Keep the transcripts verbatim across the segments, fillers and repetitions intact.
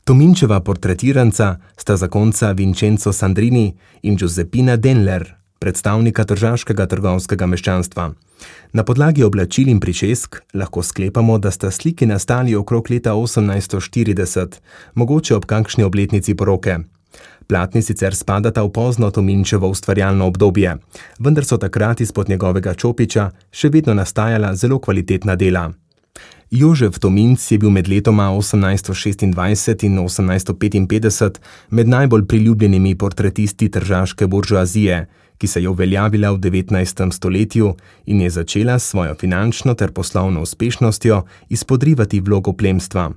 Tominčeva portretiranca sta zakonca Vincenzo Sandrini in Giuseppina Denler, predstavnika tržaškega trgovskega meščanstva. Na podlagi oblačil in pričesk lahko sklepamo, da sta sliki nastali okrog leta osemnajststo štirideset, mogoče ob kakšni obletnici poroke. Platni sicer spadata v pozno Tominčevo ustvarjalno obdobje, vendar so takrat izpod njegovega čopiča še vedno nastajala zelo kvalitetna dela. Jožef Tominc je bil med letoma osemnajststo šestindvajset in osemnajststo petinpetdeset med najbolj priljubljenimi portretisti tržaške buržoazije, ki se je uveljavila v devetnajstem stoletju in je začela s svojo finančno ter poslovno uspešnostjo izpodrivati vlogo plemstva.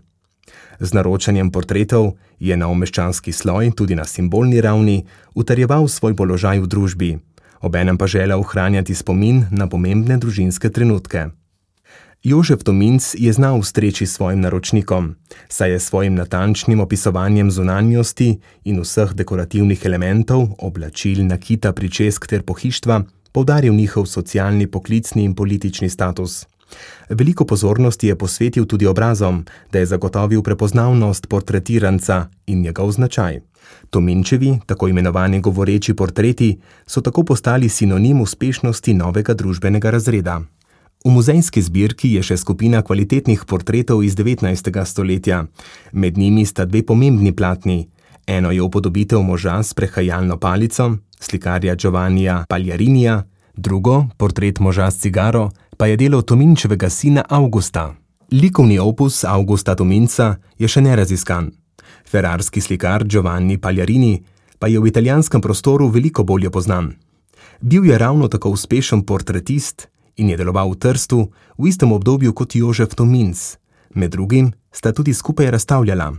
Z naročanjem portretov je nov meščanski sloj tudi na simbolni ravni utrjeval svoj položaj v družbi, obenem pa želel ohranjati spomin na pomembne družinske trenutke. Jožef Tominc je znal ustreči svojim naročnikom, saj je svojim natančnim opisovanjem zunanjosti in vseh dekorativnih elementov, oblačil, nakita, pričesk ter pohištva poudaril njihov socialni, poklicni in politični status. Veliko pozornosti je posvetil tudi obrazom, da je zagotovil prepoznavnost portretiranca in njegov značaj. Tominčevi, tako imenovani govoreči portreti, so tako postali sinonim uspešnosti novega družbenega razreda. V muzejski zbirki je še skupina kvalitetnih portretov iz devetnajstega stoletja. Med njimi sta dve pomembni platni. Eno je upodobitev moža s prehajalno palico, slikarja Giovannija Pagliarinija, drugo, portret moža s cigaro, pa je delo Tominčevega sina Augusta. Likovni opus Augusta Tominca je še neraziskan. Ferrarski slikar Giovanni Pagliarini pa je v italijanskem prostoru veliko bolje poznan. Bil je ravno tako uspešen portretist in je deloval v Trstu v istem obdobju kot Jožef Tominc. Med drugim sta tudi skupaj razstavljala.